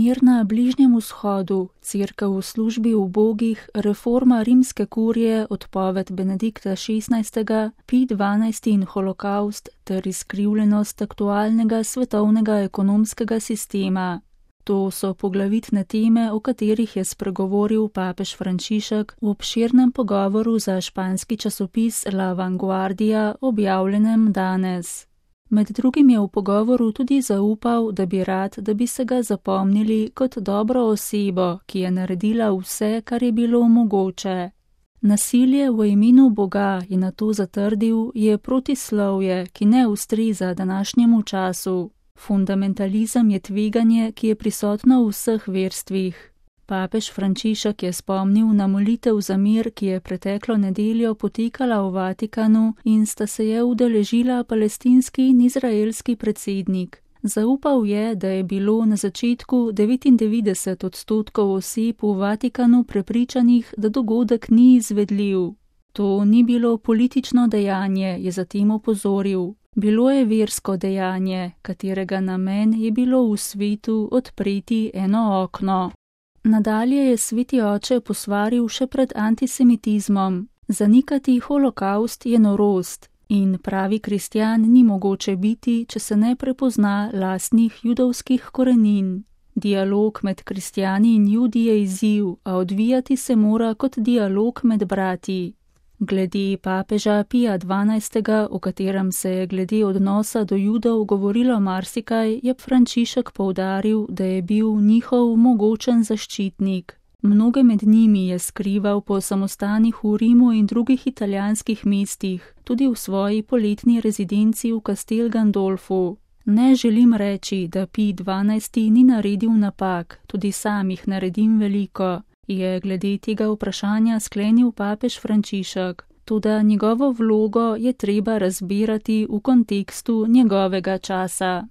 Mir na Bližnjem vzhodu, Cerkev v službi ubogih, reforma rimske kurije, odpoved Benedikta XVI, Pij XII in holokaust ter izkrivljenost aktualnega svetovnega ekonomskega sistema. To so poglavitne teme, o katerih je spregovoril papež Frančišek v obširnem pogovoru za španski časopis La Vanguardia, objavljenem danes. Med drugim je v pogovoru tudi zaupal, da bi rad, da bi se ga zapomnili kot dobro osebo, ki je naredila vse, kar je bilo mogoče. Nasilje v imenu Boga, je nato zatrdil, je protislovje, ki ne ustreza današnjemu času. Fundamentalizem je tveganje, ki je prisotno v vseh verstvih. Papež Frančišek je spomnil na molitev za mir, ki je preteklo nedeljo potekala v Vatikanu in sta se je udeležila palestinski in izraelski predsednik. Zaupal je, da je bilo na začetku 99% oseb v Vatikanu prepričanih, da dogodek ni izvedljiv. To ni bilo politično dejanje, je zatem opozoril. Bilo je versko dejanje, katerega namen je bilo v svetu odpreti eno okno. Nadalje je sveti oče posvaril še pred antisemitizmom. Zanikati holokaust je norost in pravi kristjan ni mogoče biti, če se ne prepozna lastnih judovskih korenin. Dialog med kristjani in Judi je izziv, a odvijati se mora kot dialog med brati. Glede papeža Pija XII, o katerem se je glede odnosa do Judov govorilo marsikaj, je Frančišek poudaril, da je bil njihov mogočen zaščitnik. Mnoge med njimi je skrival po samostanih v Rimu in drugih italijanskih mestih, tudi v svoji poletni rezidenci v Castel Gandolfu. Ne želim reči, da Pij XII ni naredil napak, tudi sam jih naredim veliko, je glede tega vprašanja sklenil papež Frančišek, toda njegovo vlogo je treba razbirati v kontekstu njegovega časa.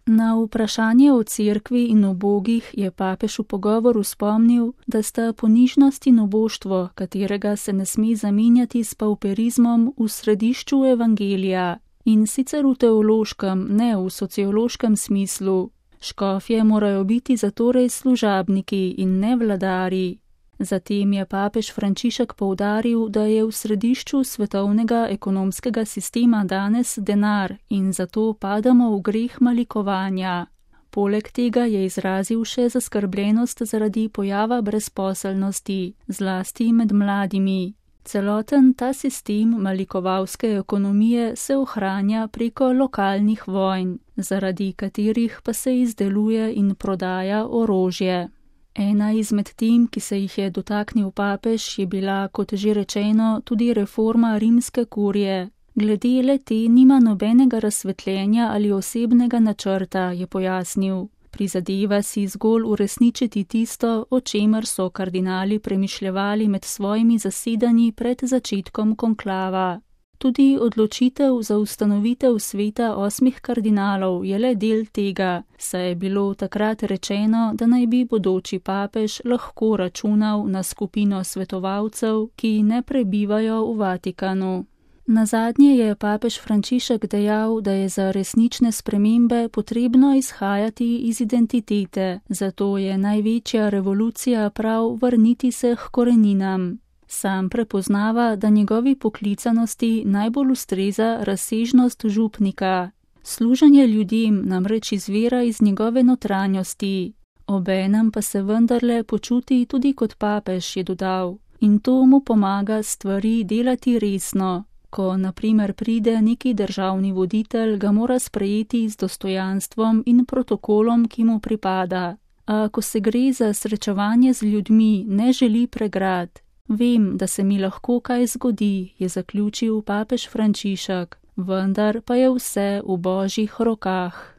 Na vprašanje o cerkvi in ubogih je papež v pogovoru spomnil, da sta ponižnost in oboštvo, katerega se ne sme zamenjati s pauperizmom, v središču evangelija, in sicer v teološkem, ne v sociološkem smislu. Škofje morajo biti zatorej služabniki in ne vladari. Zatem je papež Frančišek poudaril, da je v središču svetovnega ekonomskega sistema danes denar in zato padamo v greh malikovanja. Poleg tega je izrazil še zaskrbljenost zaradi pojava brezposelnosti, zlasti med mladimi. Celoten ta sistem malikovalske ekonomije se ohranja preko lokalnih vojn, zaradi katerih pa se izdeluje in prodaja orožje. Ena izmed tem, ki se jih je dotaknil papež, je bila, kot že rečeno, tudi reforma rimske kurije. Glede le te nima nobenega razsvetljenja ali osebnega načrta, je pojasnil. Prizadeva si zgolj uresničiti tisto, o čemer so kardinali premišljevali med svojimi zasedanji pred začetkom konklava. Tudi odločitev za ustanovitev sveta 8 kardinalov je le del tega, saj je bilo takrat rečeno, da naj bi bodoči papež lahko računal na skupino svetovalcev, ki ne prebivajo v Vatikanu. Nazadnje je papež Frančišek dejal, da je za resnične spremembe potrebno izhajati iz identitete, zato je največja revolucija prav vrniti se k koreninam. Sam prepoznava, da njegovi poklicanosti najbolj ustreza razsežnost župnika. Služenje ljudem namreč izvira iz njegove notranjosti. Obenem pa se vendarle počuti tudi kot papež, je dodal, in to mu pomaga stvari delati resno. Ko, na primer, pride neki državni voditelj, ga mora sprejeti z dostojanstvom in protokolom, ki mu pripada. A ko se gre za srečevanje z ljudmi, ne želi pregrad. Vem, da se mi lahko kaj zgodi, je zaključil papež Frančišek, vendar pa je vse v Božjih rokah.